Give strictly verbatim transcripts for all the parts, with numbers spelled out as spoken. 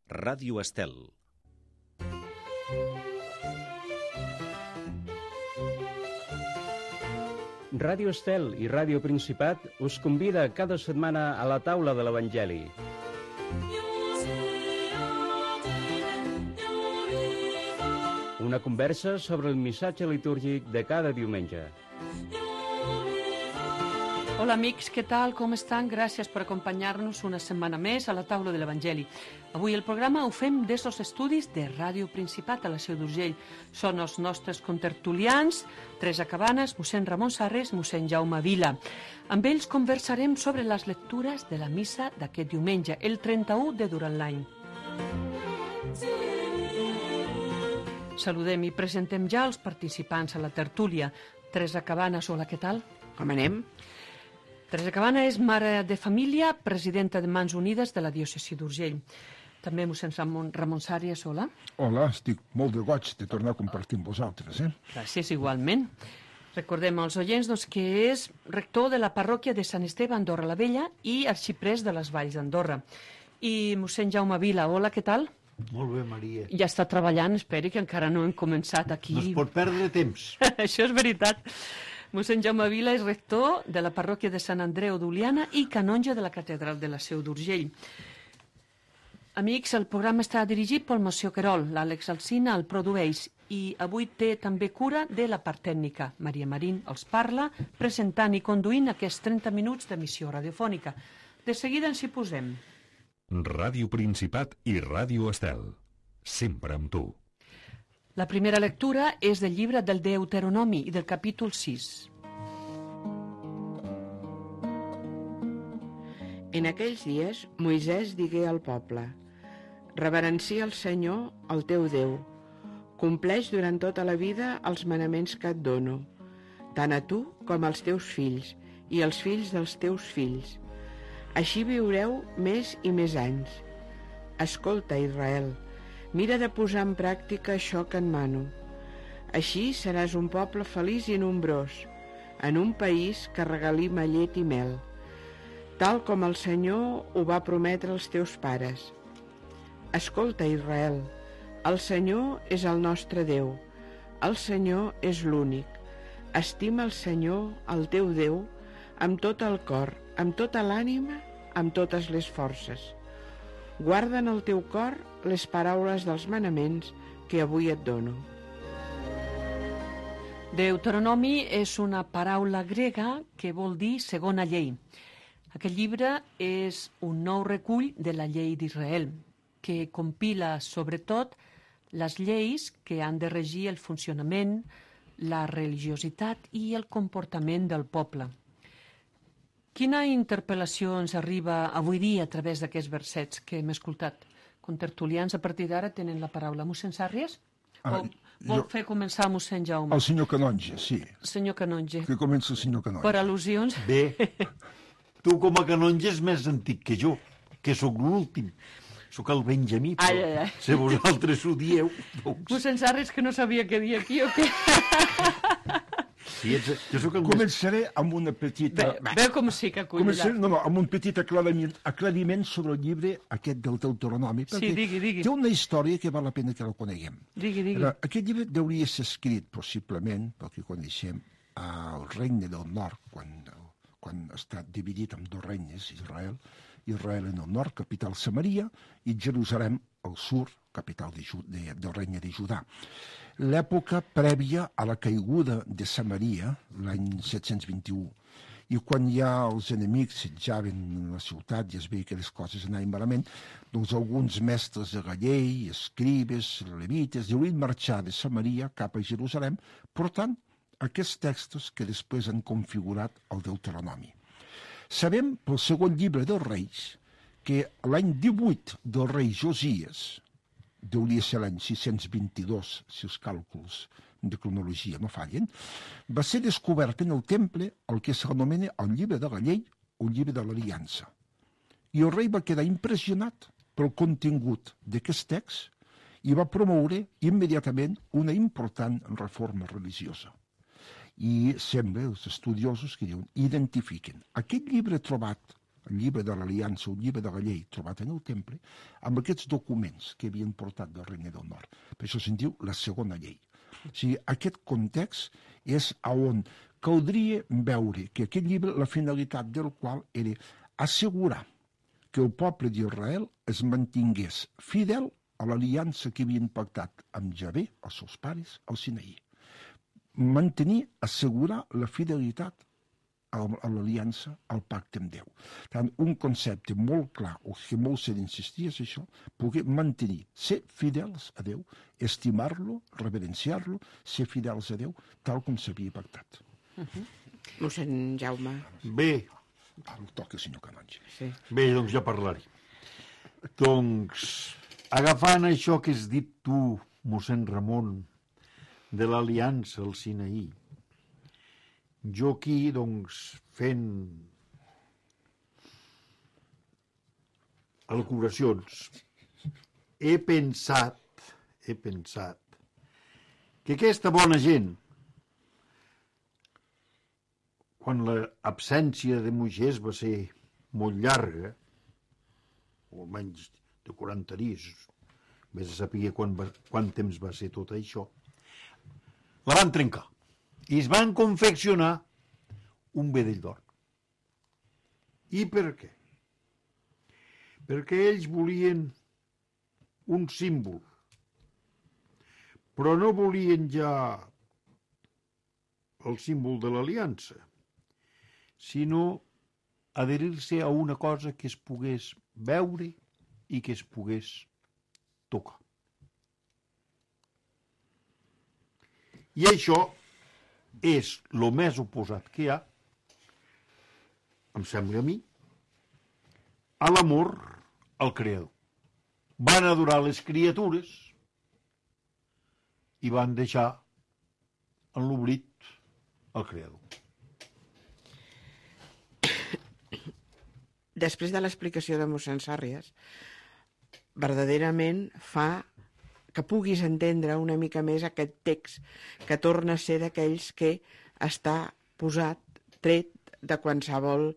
Ràdio Estel. Ràdio Estel i Ràdio Principat us convida cada setmana a la taula de l'Evangeli. Una conversa sobre el missatge litúrgic de cada diumenge. Hola amics, què tal? Com estan? Gràcies per acompanyar-nos una setmana més a la taula de l'Evangeli. Avui el programa ho fem des dels estudis de Ràdio Principat a la Seu d'Urgell. Són els nostres contertulians, Teresa Cabanes, mossèn Ramon Sarres, mossèn Jaume Vila. Amb ells conversarem sobre les lectures de la missa d'aquest diumenge, el trenta-u de durant l'any. Saludem i presentem ja els participants a la tertúlia. Teresa Cabanes, hola, què tal? Com anem? Teresa Cabana és mare de família, presidenta de Mans Unides de la diòcesi d'Urgell. També mossèn Ramon, Ramon Sàries, hola. Hola, estic molt de goig de tornar a compartir amb vosaltres, eh? Gràcies, igualment. Recordem als oients doncs, que és rector de la parròquia de Sant Esteve a Andorra la Vella i arxiprès de les Valls d'Andorra. I mossèn Jaume Vila, hola, què tal? Molt bé, Maria. Ja està treballant, esperi que encara no hem començat aquí. No es pot perdre temps. Això és veritat. Mossèn Jaume Vila és rector de la parròquia de Sant Andreu d'Oliana i canonge de la catedral de la Seu d'Urgell. Amics, el programa està dirigit pel Mossèn Querol, l'Àlex Alsina el produeix i avui té també cura de la part tècnica. Maria Marín els parla, presentant i conduint aquests trenta minuts d'emissió radiofònica. De seguida ens hi posem. Ràdio Principat i Ràdio Estel. Sempre amb tu. La primera lectura és del llibre del Deuteronomi i del capítol sis. En aquells dies, Moisès digué al poble: reverencia el Senyor, el teu Déu. Compleix durant tota la vida els manaments que et dono, tant a tu com als teus fills i als fills dels teus fills. Així viureu més i més anys. Escolta, Israel, mira de posar en pràctica això que et mano. Així seràs un poble feliç i nombrós, en un país que regalima llet i mel, tal com el Senyor ho va prometre als teus pares. Escolta, Israel, el Senyor és el nostre Déu, el Senyor és l'únic. Estima el Senyor, el teu Déu, amb tot el cor, amb tota l'ànima, amb totes les forces. Guarda en el teu cor les paraules dels manaments que avui et dono. Deuteronomi és una paraula grega que vol dir segona llei. Aquest llibre és un nou recull de la llei d'Israel, que compila sobretot les lleis que han de regir el funcionament, la religiositat i el comportament del poble. Quina interpel·lació ens arriba avui dia a través d'aquests versets que hem escoltat? Contertulians a partir d'ara tenen la paraula. Mossèn Sàries? Ah, o vol jo... fer començar mossèn Jaume? El senyor Canonge, sí. Senyor Canonge. Que comença el senyor Canonge. Per al·lusions? Bé, tu com a canonge és més antic que jo, que sóc l'últim. Sóc el Benjamí, però ai, ai, ai. si vosaltres ho dieu... Doncs... Mossèn Sàries, que no sabia què dir aquí o què? Sí, ets... jo sóc el Començaré amb una petita... Bé, veu com sí que acull. Començaré, no, no, amb un petit aclariment, aclariment sobre el llibre aquest del Deuteronomi, perquè Sí, digui, digui. té una història que val la pena que la coneguem. Digui, digui. Ara, aquest llibre hauria ser escrit, possiblement, pel que coneixem, al Regne del Nord, quan, quan està dividit en dos regnes, Israel, Israel en el nord, capital Samaria, i Jerusalem al sud, capital de, de, del regne de Judà. L'època prèvia a la caiguda de Samaria, l'any set-cents vint-i-u, i quan ja els enemics setjaven la ciutat i es veia que les coses anaven malament, doncs alguns mestres de la llei, escribes, levites, deurien marxar de Samaria cap a Jerusalem, portant aquests textos que després han configurat el Deuteronomi. Sabem pel segon llibre dels Reis que l'any divuit del rei Josies, deuria ser l'any sis-cents vint-i-dos, si els càlculs de cronologia no fallen, va ser descobert en el temple el que s'anomena el llibre de la llei o el llibre de l'aliança. I el rei va quedar impressionat pel contingut d'aquest text i va promoure immediatament una important reforma religiosa. I sembla, els estudiosos que diuen, identifiquen aquest llibre trobat el llibre de l'Aliança, el llibre de la llei trobat en el temple, amb aquests documents que havien portat del Regne del Nord. Per això se'n diu la segona llei. O sigui, aquest context és on caldria veure que aquest llibre, la finalitat del qual era assegurar que el poble d'Israel es mantingués fidel a l'aliança que havien pactat amb Javé, els seus pares, al Sinaí. Mantenir, assegurar la fidelitat a l'aliança, al pacte amb Déu. Tant un concepte molt clar, o que molt s'ha d'insistir és això, poder mantenir, ser fidels a Déu, estimar-lo, reverenciar-lo, ser fidels a Déu, tal com s'havia pactat. Uh-huh. Mossèn Jaume. Bé. Ara el toca el senyor Canonge. Sí. Bé, doncs ja parlaré. Doncs, agafant això que has dit tu, mossèn Ramon, de l'aliança al Sinaí, jo aquí, doncs, fent elucubracions, he pensat, he pensat, que aquesta bona gent, quan l'absència de Moisès va ser molt llarga, o almenys de quaranta dies, vés a saber quan, va, quant temps va ser tot això, la van trencar i es van confeccionar un vedell d'or. I per què? Perquè ells volien un símbol, però no volien ja el símbol de l'aliança, sinó adherir-se a una cosa que es pogués veure i que es pogués tocar. I això és el més oposat que hi ha, em sembla a mi, a l'amor al Creador. Van adorar les criatures i van deixar en l'oblit el Creador. Després de l'explicació de mossèn Sàrries, verdaderament fa que puguis entendre una mica més aquest text que torna a ser d'aquells que està posat, tret de qualsevol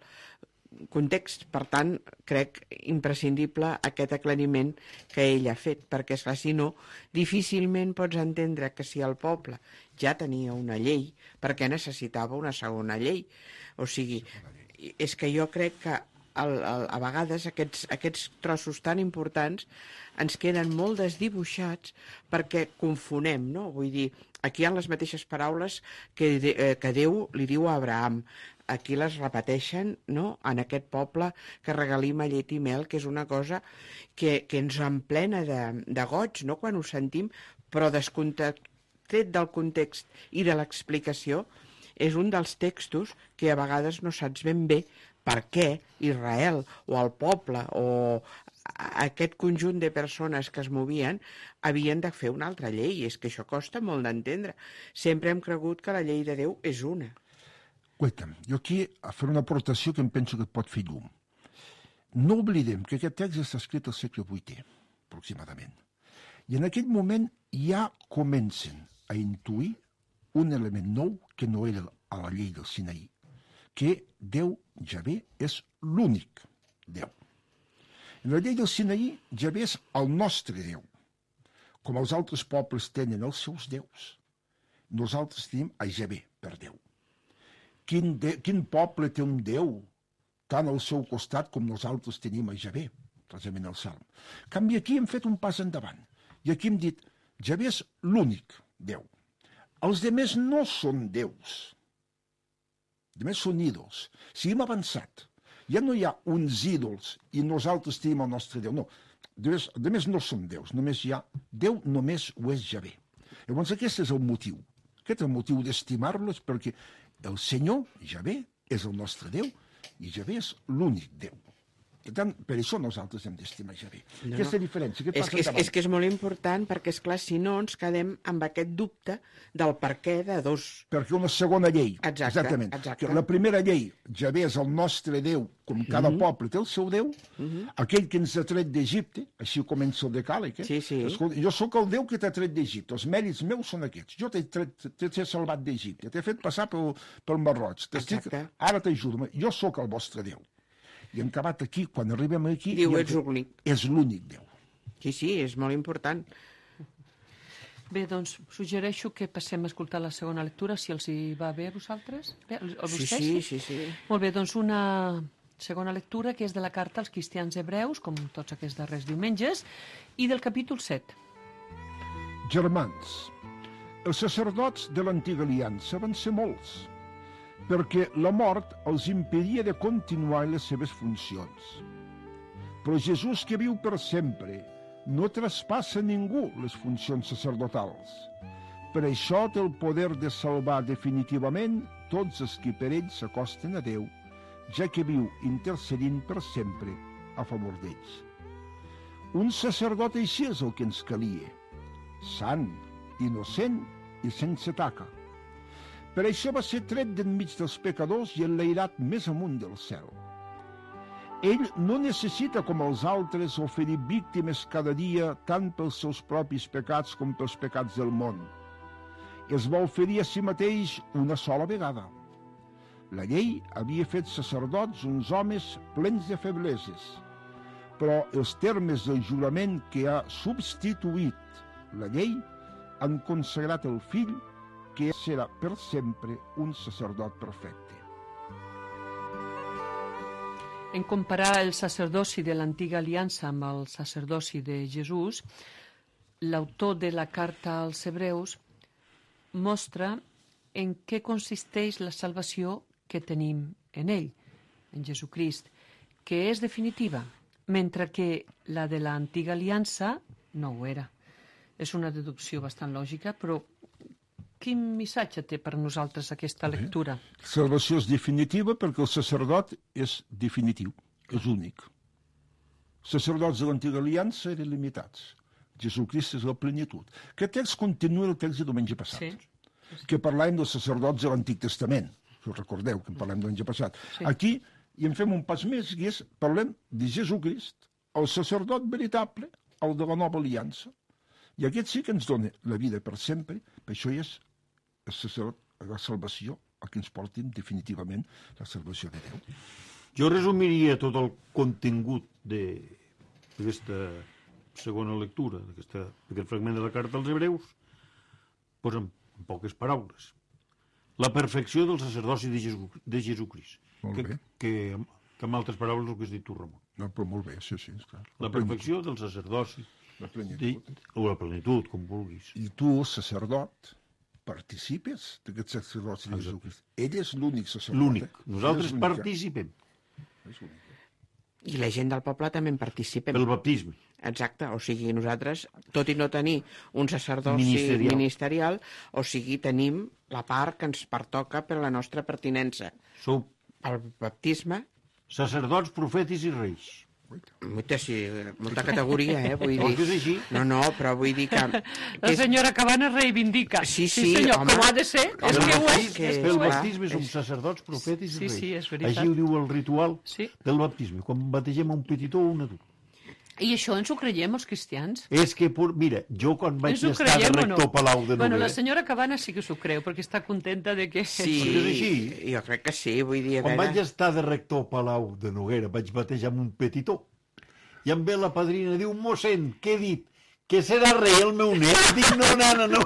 context. Per tant, crec imprescindible aquest aclariment que ell ha fet, perquè esclar, si no, difícilment pots entendre que si el poble ja tenia una llei, per què necessitava una segona llei? O sigui, és que jo crec que El, el, a vegades aquests, aquests trossos tan importants ens queden molt desdibuixats perquè confonem, no? Vull dir, aquí hi ha les mateixes paraules que, de, eh, que Déu li diu a Abraham. Aquí les repeteixen, no?, en aquest poble que regalima llet i mel, que és una cosa que, que ens emplena de, de goig, no?, quan ho sentim, però descontret del context i de l'explicació, és un dels textos que a vegades no saps ben bé per què Israel o el poble o aquest conjunt de persones que es movien havien de fer una altra llei. És que això costa molt d'entendre. Sempre hem cregut que la llei de Déu és una. Guaita'm, jo aquí a fer una aportació que em penso que et pot fer llum. No oblidem que aquest text està escrit al segle vuitè, aproximadament. I en aquell moment ja comencen a intuir un element nou que no era a la llei del Sinaí, que Déu, Javé, és l'únic Déu. En la llei del Sinaí, Javé és el nostre Déu. Com els altres pobles tenen els seus déus, nosaltres tenim a Javé per Déu. Quin, de, quin poble té un Déu tant al seu costat com nosaltres tenim a Javé, precisament al Salm. En canvi, aquí hem fet un pas endavant. I aquí hem dit, Javé és l'únic Déu. Els demés no són déus. A més, són ídols. Si hem avançat, ja no hi ha uns ídols i nosaltres tenim el nostre Déu. No, a més no són déus, només hi ha Déu, només ho és Javé. Llavors aquest és el motiu. Aquest és el motiu d'estimar-los, perquè el Senyor, Javé, és el nostre Déu i Javé és l'únic Déu. Per tant, per això nosaltres hem d'estimar Javé. No, Aquesta no. diferència, què és passa que és, endavant? és que és molt important, perquè, esclar, si no ens quedem amb aquest dubte del per què de dos... Perquè una segona llei, exacte, exactament. Exacte. Que la primera llei, Javé és el nostre Déu, com cada mm -hmm. poble té el seu Déu, mm -hmm. aquell que ens ha tret d'Egipte, així comença el decàleg, eh? Sí, sí. Escolta, jo sóc el Déu que t'ha tret d'Egipte, els mèrits meus són aquests. Jo t'he t'he salvat d'Egipte, t'he fet passar pel, pel Mar Roig, ara t'ajudo, jo sóc el vostre Déu. I en acabat aquí, quan arribem aquí... Diu, ets l'únic. És l'únic Déu. Sí, sí, és molt important. Bé, doncs, suggereixo que passem a escoltar la segona lectura, si els hi va bé a vosaltres. Bé, a Sí, vostès? sí, sí, sí. Molt bé, doncs una segona lectura que és de la carta als cristians hebreus, com tots aquests darrers diumenges, i del capítol set. Germans, els sacerdots de l'antiga aliança van ser molts, perquè la mort els impedia de continuar les seves funcions. Però Jesús, que viu per sempre, no traspassa ningú les funcions sacerdotals. Per això té el poder de salvar definitivament tots els que per ell s'acosten a Déu, ja que viu intercedint per sempre a favor d'ells. Un sacerdot així és el que ens calia, sant, innocent i sense taca. Per això va ser tret d'enmig dels pecadors i enlairat més amunt del cel. Ell no necessita, com els altres, oferir víctimes cada dia tant pels seus propis pecats com pels pecats del món. Es va oferir a si mateix una sola vegada. La llei havia fet sacerdots uns homes plens de febleses, però els termes del jurament que ha substituït la llei han consagrat el fill, que serà per sempre un sacerdot perfecte. En comparar el sacerdoci de l'antiga aliança amb el sacerdoci de Jesús, l'autor de la carta als hebreus mostra en què consisteix la salvació que tenim en ell, en Jesucrist, que és definitiva, mentre que la de l'antiga aliança no ho era. És una deducció bastant lògica, però quin missatge té per nosaltres aquesta lectura? La salvació és definitiva perquè el sacerdot és definitiu, és únic. Els sacerdots de l'antiga aliança eren limitats. Jesucrist és la plenitud. Aquest text continua el text de diumenge passat, Sí. que parlàvem dels sacerdots de l'Antic Testament. Si us recordeu que en parlem diumenge passat. Sí. Aquí i en fem un pas més, i és, parlem de Jesucrist, el sacerdot veritable, el de la nova aliança. I aquest sí que ens dona la vida per sempre, per això és el sacerdot, la salvació, el que ens portin definitivament la salvació de Déu. Jo resumiria tot el contingut d'aquesta segona lectura, d'aquest fragment de la carta als hebreus, doncs en, en poques paraules. La perfecció del sacerdoci de, Jesu, de Jesucrist. Molt Que, bé. que, que, en altres paraules, el que has dit tu, Ramon. No, però molt bé, sí, sí, clar. La perfecció del sacerdoci, La de, plenitud. o la plenitud, com vulguis. I tu, sacerdot, participes d'aquest sacerdoci de Jesucrist. Ell és l'únic sacerdot. L'únic. eh? Nosaltres Ell és l'únic, eh? participem És l'únic. I la gent del poble també en participem. pel baptisme. Exacte, o sigui, nosaltres, tot i no tenir un sacerdoci Ministerial. ministerial, o sigui, tenim la part que ens pertoca per la nostra pertinença. Sou El baptisme, sacerdots, profetis i reis. molta, sí, molta categoria, eh, vull No, dir. que és així. No, no, però vull dir que... La que és- senyora Cabanes reivindica. Sí, sí, senyor, home. com ha de ser. És Pel que ho és. baptisme- És que pel ho és. baptisme som és- sacerdots, profetis Sí, i reis. sí, és veritat. Així ho diu el ritual Sí. del baptisme, quan bategem un petitó o un adult. I això ens ho creiem, els cristians? És que, por- mira, jo quan vaig Ens ho estar de creiem o rector no? Palau de Bueno, Noguera, la senyora Cabanes sí que s'ho creu, perquè està contenta de que... Sí, és així. jo crec que sí, vull dir, a quan vaig veure... estar de rector Palau de Noguera, vaig batejar amb un petitó. I em ve la padrina i diu, mossèn, què he dit? Que serà rei el meu net? Dic, no, nana, no.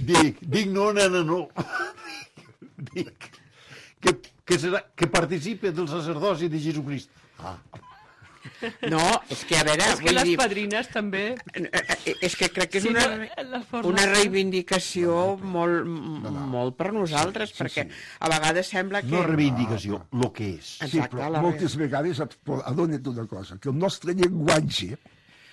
Dic, dic, no, nana, no. Dic, que, que, serà, que participe del sacerdoci de Jesucrist. Ah, No, és que, a veure, És que vull les dir... padrines també... Eh, És que crec que és Sí, una, no, la forma- una reivindicació molt, molt per nosaltres, perquè a vegades sembla que... no reivindicació, el que és. Sí, Exacte, però la- moltes vegades et po- adona't una cosa, que el nostre llenguatge,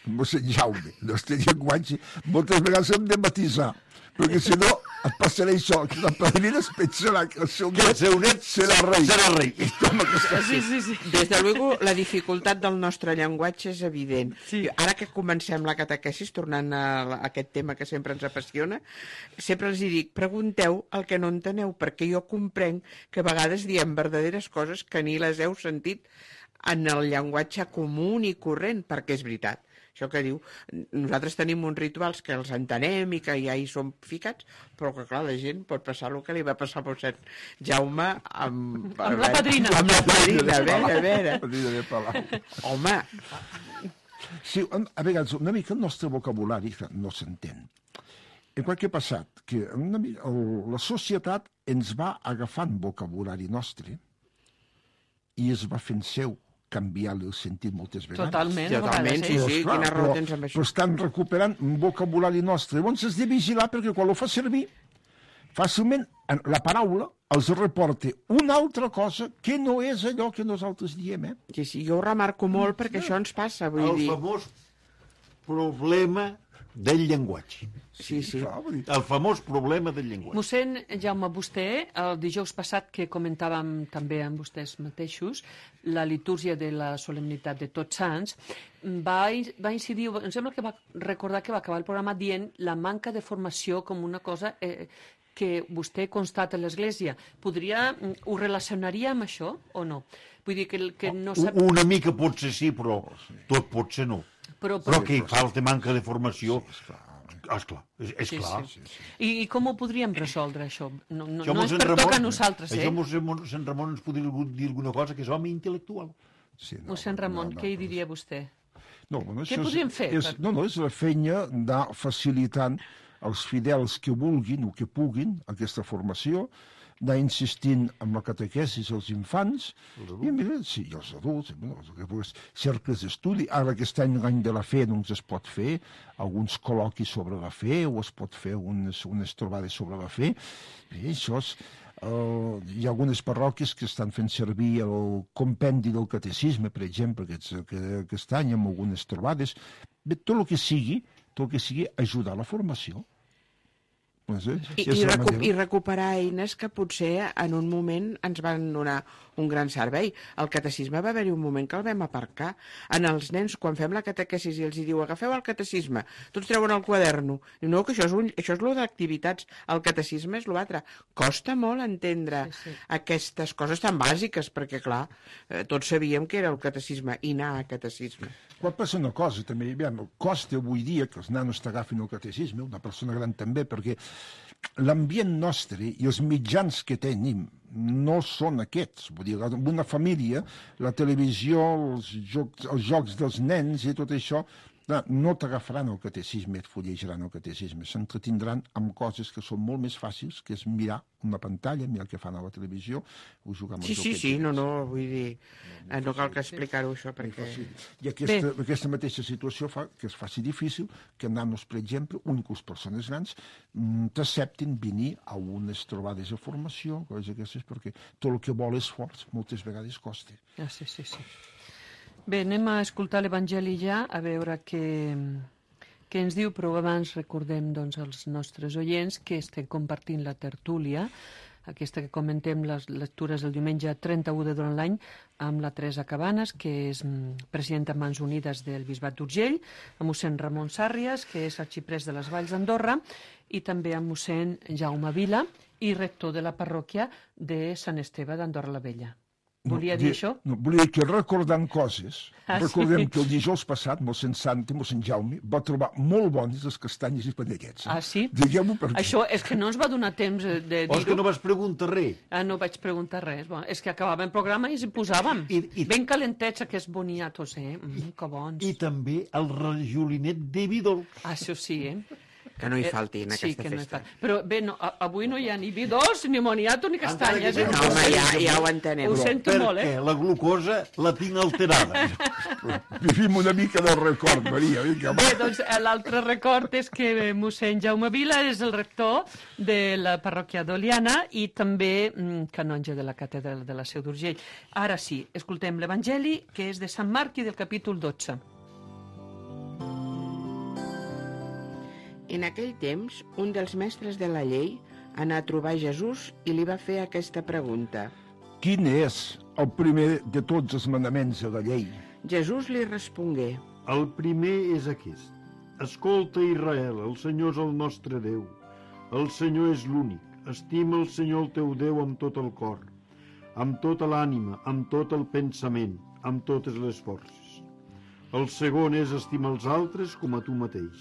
mossèn Jaume, el nostre llenguatge, moltes vegades hem de matisar, perquè si no et passarà això, que la padrina es pensarà que el seu Que el net seu net serà rei. serà rei. I toma, que està... Sí, sí, sí. Des de luego, la dificultat del nostre llenguatge és evident. Sí. Ara que comencem la catequesis, tornant a, la- a aquest tema que sempre ens apassiona, sempre els hi dic, pregunteu el que no enteneu, perquè jo comprenc que a vegades diem verdaderes coses que ni les heu sentit en el llenguatge comú i corrent, perquè és veritat. Això que diu, nosaltres tenim uns rituals que els entenem i que ja hi som ficats, però que, clar, la gent pot passar el que li va passar al mossèn Jaume amb... Amb la padrina. Amb la padrina, a veure, a veure. Padrina de Palau. Home, Sí, a vegades una mica el nostre vocabulari no s'entén. En què ha passat? Que una mica, el, la societat ens va agafant vocabulari nostre i es va fent seu, canviar-li el sentit moltes vegades. Totalment, a totalment, vegades, sí, eh? sí, Però, quina clar, raó però- tens amb Però això. estan recuperant un vocabulari nostre. Llavors has de vigilar perquè quan ho fa servir, fàcilment en la paraula els reporta una altra cosa que no és allò que nosaltres diem, eh? Sí, sí, jo ho remarco molt perquè això ens passa, vull El dir... famós problema del llenguatge. Sí, sí. Clar, vull dir, El famós problema del llenguatge. Mossèn Jaume, vostè, el dijous passat que comentàvem també amb vostès mateixos, la litúrgia de la solemnitat de Tots Sants, va, va incidir, em sembla que va recordar que va acabar el programa dient la manca de formació com una cosa eh, que vostè constata a l'Església. Podria, ho relacionaria amb això o no? Vull dir que, que no sap... Una mica potser sí, però tot potser no. Però, Però que hi falta manca de formació, esclar, és, és Sí, clar. sí. I, I com ho podríem resoldre, això? No, no, Això no és mossèn per Ramon- tocar a nosaltres, eh? Això mossèn Sant Ramon ens podria dir alguna cosa, que és home intel·lectual. sí, no, Mossèn Ramon, no, no, què hi no, diria vostè? No, bueno, Què això és- podríem fer És, per- no, no, és la feina de facilitant als fidels que vulguin o que puguin aquesta formació, d'anar insistint amb la catequesis als infants, i mira, sí, i els adults, bueno, pues, cercles d'estudi. Ara aquest any, l'any de la fe, doncs es pot fer alguns col·loquis sobre la fe, o es pot fer unes, unes trobades sobre la fe. I això és... Uh, hi ha algunes parròquies que estan fent servir el compendi del catecisme, per exemple, aquest, aquest any, amb algunes trobades. Bé, tot el que sigui, tot el que sigui ajudar a la formació. Doncs, eh, I, és i, la recu manera. I recuperar eines que potser en un moment ens van donar un gran servei. El catecisme va haver-hi un moment que el vam aparcar. En els nens, quan fem la catequesis i els hi diu agafeu el catecisme, tots treuen el quaderno. Diu, no, que això és, un, això és lo d'activitats. El catecisme és l'altre. Costa molt entendre Sí, sí. aquestes coses tan bàsiques, perquè, clar, eh, tots sabíem que era el catecisme i anar a catecisme. Quan passa una cosa, també, aviam, costa avui dia que els nanos t'agafin el catecisme, una persona gran també, perquè l'ambient nostre i els mitjans que tenim no són aquests. Vull dir, en una família, la televisió, els jocs, els jocs dels nens i tot això, no t'agafaran el catecisme, et fullejaran el catecisme, s'entretindran amb coses que són molt més fàcils, que és mirar una pantalla, mirar el que fan a la televisió, o jugar amb Sí, els sí, joquets. sí, no, no, vull dir, eh, no cal que explicar-ho això, perquè... I aquesta, aquesta mateixa situació fa que es faci difícil que nanos, per exemple, úniques persones grans, mm, t'acceptin venir a unes trobades de formació, coses aquestes, perquè tot el que vol esforç moltes vegades costa. Ah, sí, sí, sí. Bé, anem a escoltar l'Evangeli ja, a veure què, què ens diu, però abans recordem doncs, als nostres oients que estem compartint la tertúlia, aquesta que comentem les lectures del diumenge trenta-u de durant l'any, amb la Teresa Cabanes, que és mm, presidenta de Mans Unides del Bisbat d'Urgell, amb mossèn Ramon Sàrries, que és arxiprès de les Valls d'Andorra, i també amb mossèn Jaume Vila, i rector de la parròquia de Sant Esteve d'Andorra la Vella. Volia dir això? No, volia dir que recordant coses, Ah, recordem sí? que el dijous passat, mossèn Santi, mossèn Jaume, va trobar molt bones les castanyes i panellets. Ah, sí? Diguem-ho per Això és que no ens va donar temps de O és que dir-ho. no vas preguntar res. Ah, no vaig preguntar res. Bon, és que acabava el programa i ens hi posàvem. I- i- Ben calentets, aquests boniatos, eh? Mm, que bons. I també el rajolinet de Vidol. Ah, això sí, eh? Que no hi falti en Eh, sí, aquesta que no hi festa. fa. Però bé, no, a- avui no hi ha ni vi dolç, ni moniato, ni castanyes. Encara Eh? que No, home, ja, ja ho entenem. Ho sento molt, Perquè eh? la glucosa la tinc alterada. Vivim una mica del record, Maria. Vinga, va. Bé, doncs eh, l'altre record és que eh, mossèn Jaume Vila és el rector de la parròquia d'Oliana i també mm, canonge de la catedral de la Seu d'Urgell. Ara sí, escoltem l'Evangeli, que és de Sant Marc i del capítol dotze. En aquell temps, un dels mestres de la llei anà a trobar Jesús i li va fer aquesta pregunta. Quin és el primer de tots els manaments de la llei? Jesús li respongué, El primer és aquest. Escolta, Israel, el Senyor és el nostre Déu. El Senyor és l'únic. Estima el Senyor el teu Déu amb tot el cor, amb tota l'ànima, amb tot el pensament, amb totes les forces. El segon és estimar els altres com a tu mateix.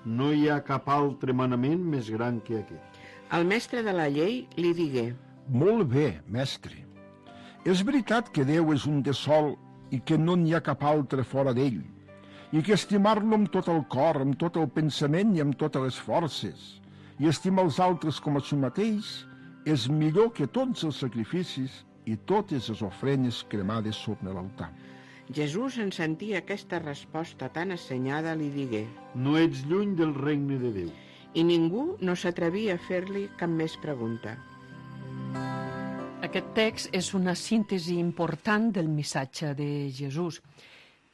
No hi ha cap altre manament més gran que aquest. El mestre de la llei li digué: Molt bé, mestre. És veritat que Déu és un de sol i que no n'hi ha cap altre fora d'ell, i que estimar-lo amb tot el cor, amb tot el pensament i amb totes les forces, i estimar els altres com a si mateix, és millor que tots els sacrificis i totes les ofrenes cremades sobre l'altar. Jesús, en sentir aquesta resposta tan assenyada, li digué: No ets lluny del regne de Déu. I ningú no s'atrevia a fer-li cap més pregunta. Aquest text és una síntesi important del missatge de Jesús.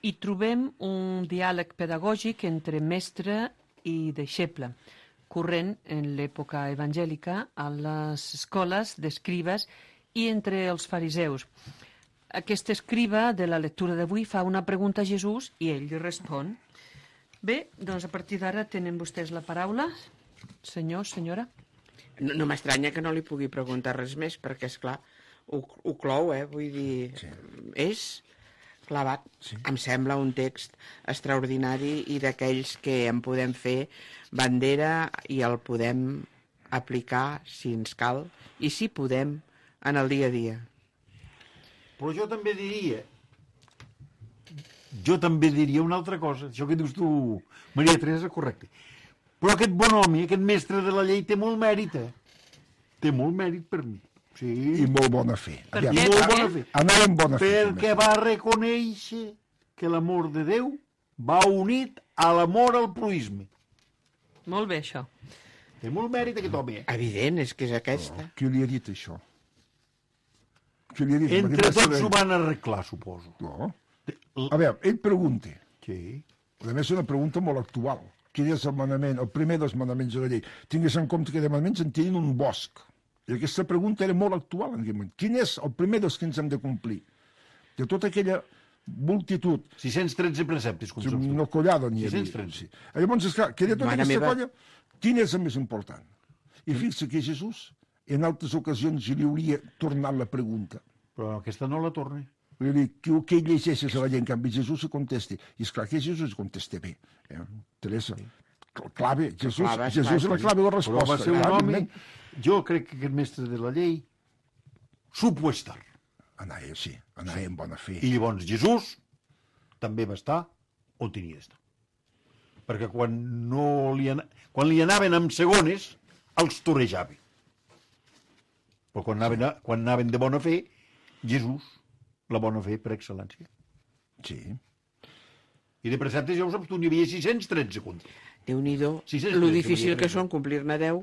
Hi trobem un diàleg pedagògic entre mestre i deixeble, corrent en l'època evangèlica a les escoles d'escribes i entre els fariseus. Aquest escriba de la lectura d'avui fa una pregunta a Jesús i ell li respon. Bé, doncs a partir d'ara tenen vostès la paraula. Senyor, senyora. No, no m'estranya que no li pugui preguntar res més, perquè, és clar, ho, ho clou, eh? Vull dir, sí. És clavat. Sí. Em sembla un text extraordinari i d'aquells que en podem fer bandera i el podem aplicar, si ens cal, i si podem, en el dia a dia. Però jo també diria, jo també diria una altra cosa, això que dius tu, Maria Teresa, correcte. Però aquest bon home, aquest mestre de la llei, té molt mèrit, eh? Té molt mèrit per mi. Sí. I molt bona fe. Per I què? molt Per bona què? fe. Anar amb bona fe. Perquè va reconèixer que l'amor de Déu va unit a l'amor al proisme. Molt bé, això. Té molt mèrit aquest home, eh? Evident, és que és aquesta. Oh, qui li ha dit això? Qui li ha dit? Entre Perquè tots va ho saber- van arreglar, suposo. No. A veure, ell pregunta. Sí. A més, és una pregunta molt actual. Quin és el manament, el primer dels manaments de la llei? Tingues en compte que de manaments en tenen un bosc. I aquesta pregunta era molt actual en aquell moment. Quin és el primer dels que ens hem de complir? De tota aquella multitud, sis-cents tretze preceptes, com saps tu. no collada n'hi havia. sis-cents tretze. Sí. Llavors, esclar, que de tota Mare aquesta meva. colla, quin és el més important? I fixa que Jesús, en altres ocasions, li hauria tornat la pregunta. Però aquesta no la torna. Vull dir, que, que ell llegeixes a la gent, en canvi Jesús se contesti. I esclar que Jesús se contesta bé. Eh? Teresa, clave, Jesús, Clave, Jesús és la clave de la Però resposta. va ser un eh? home... Jo crec que aquest mestre de la llei supo estar. Anava, sí, anava amb bona fe. I llavors Jesús també va estar on tenia d'estar. Perquè quan, no li, ana... quan li anaven amb segones, els torejava. Però quan anaven, a... quan anaven de bona fe, Jesús, la bona fe per excel·lència. Sí. I de preceptes, ja ho saps tu, n'hi havia sis-cents tretze comptes. Déu-n'hi-do, sis cents lo tretze, difícil volia que dir. són complir-ne deu,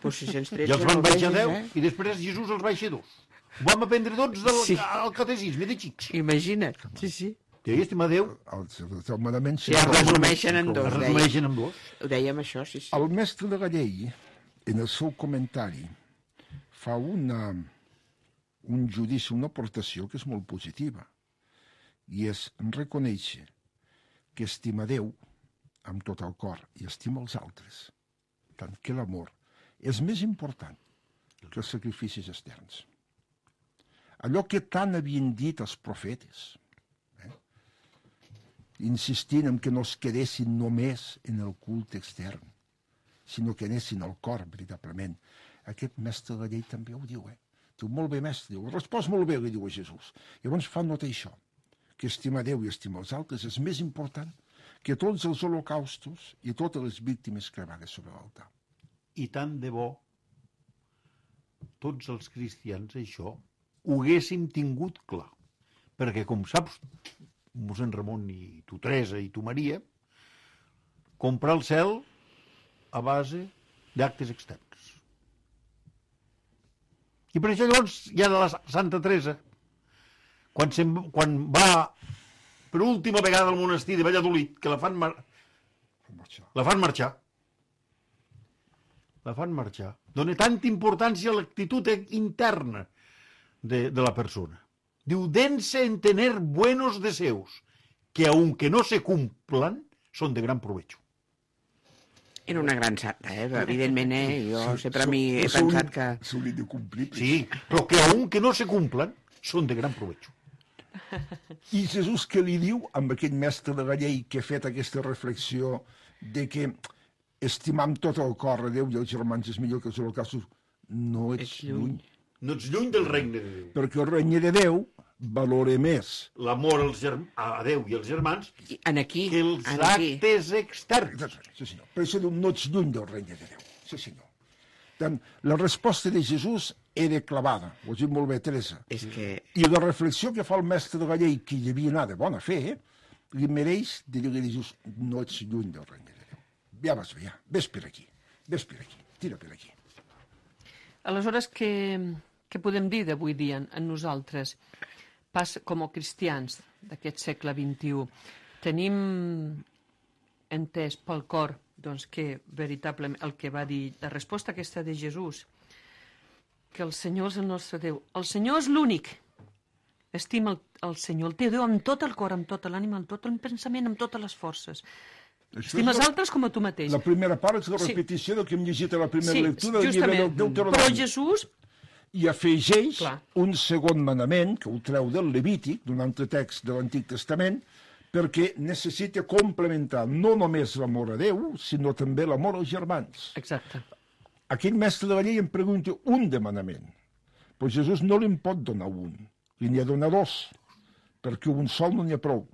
doncs sis-cents tretze I els van no baixar vegis, deu, eh? i després Jesús els baixa dos. Ho vam aprendre tots del, Sí. al catecisme de xics. Imagina't, sí, sí. Té estimar Déu, El, el manament... Sí, es resumeixen en dos, es deia. resumeixen en dos. Ho dèiem això, sí, sí. El mestre de la llei, en el seu comentari, fa una, un judici, una aportació que és molt positiva, i és reconèixer que estima Déu amb tot el cor i estima els altres, tant que l'amor és més important que els sacrificis externs. Allò que tant havien dit els profetes, eh? insistint en que no es quedessin només en el culte extern, sinó que anessin al cor, veritablement. Aquest mestre de la llei també ho diu, eh? Diu, molt bé, mestre, diu, respost molt bé, li diu a Jesús. Llavors fa nota això, que estimar Déu i estimar els altres és més important que tots els holocaustos i totes les víctimes cremades sobre l'altar. I tant de bo tots els cristians això ho haguéssim tingut clar. Perquè, com saps, mossèn Ramon i tu Teresa i tu Maria, comprar el cel a base d'actes externs. I per això llavors hi ha de la Santa Teresa, quan, se'n, quan va per última vegada al monestir de Valladolid, que la fan, mar... la fan marxar, la fan marxar. Dona tanta importància a l'actitud interna de, de la persona. Diu, dense en tener buenos deseos, que aunque no se cumplan, son de gran provecho. Era una gran santa, eh? Evidentment, eh? Jo sempre a mi he pensat que... S'hauria de complir. Sí, però que aunque no se cumplan, son de gran provecho. I Jesús què li diu amb aquest mestre de la llei que ha fet aquesta reflexió de que estimar amb tot el cor a Déu i els germans és millor que els holocaustos? No ets lluny. No ets lluny del regne de Déu. Perquè el regne de Déu valora més l'amor als germ... a Déu i als germans En aquí, que els en aquí. actes externs. Sí, senyor. Per això diu, no ets lluny del regne de Déu. Sí, senyor. Tant, la resposta de Jesús era clavada, ho has dit molt bé, Teresa. És que... I la reflexió que fa el mestre de la llei, que hi havia anat de bona fe, eh, li mereix de dir a Jesús, no ets lluny del regne de Déu. Ja vas bé, ja. Ves per aquí. Ves per aquí. Tira per aquí. Aleshores, què, què podem dir d'avui dia en nosaltres? Pas, com a cristians d'aquest segle vint-i-u, tenim entès pel cor doncs, que veritablement el que va dir, la resposta aquesta de Jesús, que el Senyor és el nostre Déu. El Senyor és l'únic. Estima el, el Senyor, el teu Déu, amb tot el cor, amb tota l'ànima, amb tot el pensament, amb totes les forces. Això Estima els la, altres com a tu mateix. la primera part és la Sí. repetició del que hem llegit a la primera Sí, lectura del llibre justament. del Deuteronomi. Però Jesús, I afegeix Clar. un segon manament, que ho treu del Levític, d'un altre text de l'Antic Testament, perquè necessita complementar no només l'amor a Déu, sinó també l'amor als germans. exacte, Aquell mestre de la llei em pregunta un demanament, però Jesús no li en pot donar un, li n'hi ha donar dos, perquè un sol no n'hi ha prou.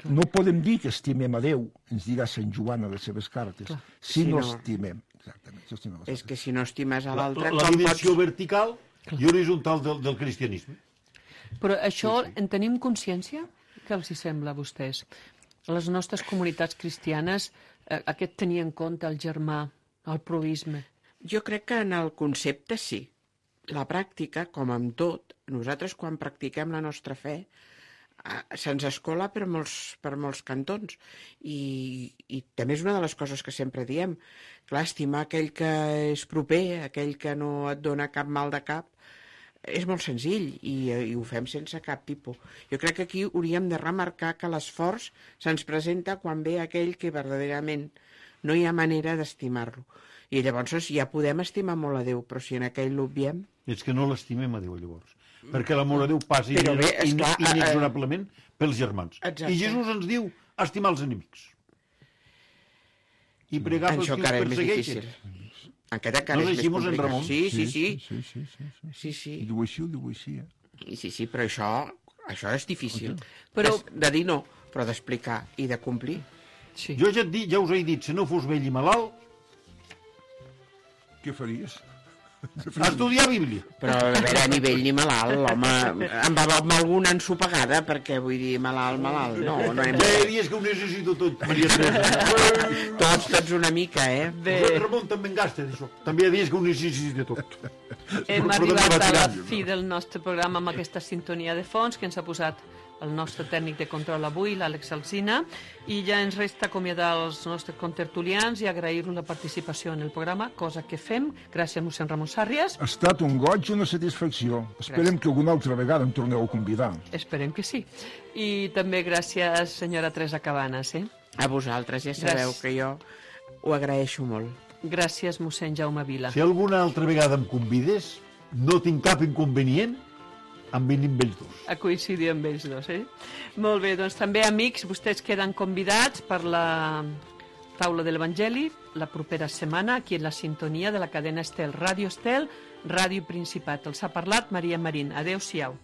No podem dir que estimem a Déu, ens dirà Sant Joan a les seves cartes, Clar. si Si no no- estimem. Exactament, si estimem els És altres. que si no estimes a La, l'altre, la com dimensió pots... vertical i horitzontal del, del cristianisme. però això sí, sí. en tenim consciència? Què els hi sembla a vostès? A les nostres comunitats cristianes eh, aquest tenir en compte el germà, el proisme. Jo crec que en el concepte sí. La pràctica, com amb tot, nosaltres quan practiquem la nostra fe eh, se'ns escola per molts, per molts cantons. I, I també és una de les coses que sempre diem. Clar, estimar aquell que és proper, aquell que no et dona cap mal de cap, és molt senzill i, i ho fem sense cap tipus. Jo crec que aquí hauríem de remarcar que l'esforç se'ns presenta quan ve aquell que verdaderament no hi ha manera d'estimar-lo. I llavors ja podem estimar molt a Déu, però si en aquell l'obviem... És que no l'estimem a Déu, llavors. Perquè l'amor a Déu passa Però bé, esclar, in, inexorablement pels germans. Exacte. I Jesús ens diu estimar els enemics. I pregar pels Això que encara els és més persegueixen. difícil. Encara, encara No és més decimos en complicat. Ramon? Sí, sí, sí. Sí, sí, sí, sí, sí. Sí, sí. I diu així, ho diu així, eh? I sí, sí, però això, això és difícil. Però- És de dir no, però d'explicar i de complir. Sí. Jo ja, et dic, ja us he dit, si no fos vell i malalt, Què faries? estudiar Bíblia. Però a veure, ni vell ni malalt, l'home amb, amb alguna ensopegada, perquè vull dir malalt, malalt, no, no hem... Ja hi dies que ho necessito tot, Maria Teresa. Tots, tots una mica, eh? Bé, Ramon també en gasta d'això. També hi ha dies que ho necessito tot. hem Però arribat també va a la tirant. fi del nostre programa amb aquesta sintonia de fons que ens ha posat el nostre tècnic de control avui, l'Àlex Alsina, i ja ens resta acomiadar els nostres contertulians i agrair-los la participació en el programa, cosa que fem. Gràcies, mossèn Ramon Sàrries. Ha estat un goig i una satisfacció. Esperem Gràcies. que alguna altra vegada em torneu a convidar. Esperem que sí. I també gràcies, senyora Teresa Cabanes. Eh? A vosaltres, ja sabeu Gràcies. que jo ho agraeixo molt. Gràcies, mossèn Jaume Vila. Si alguna altra vegada em convides, no tinc cap inconvenient en venir amb ells dos. A coincidir amb ells dos, eh? Molt bé, doncs també, amics, vostès queden convidats per la taula de l'Evangeli la propera setmana aquí en la sintonia de la cadena Estel, Ràdio Estel, Ràdio Principat. Els ha parlat Maria Marín. Adéu-siau.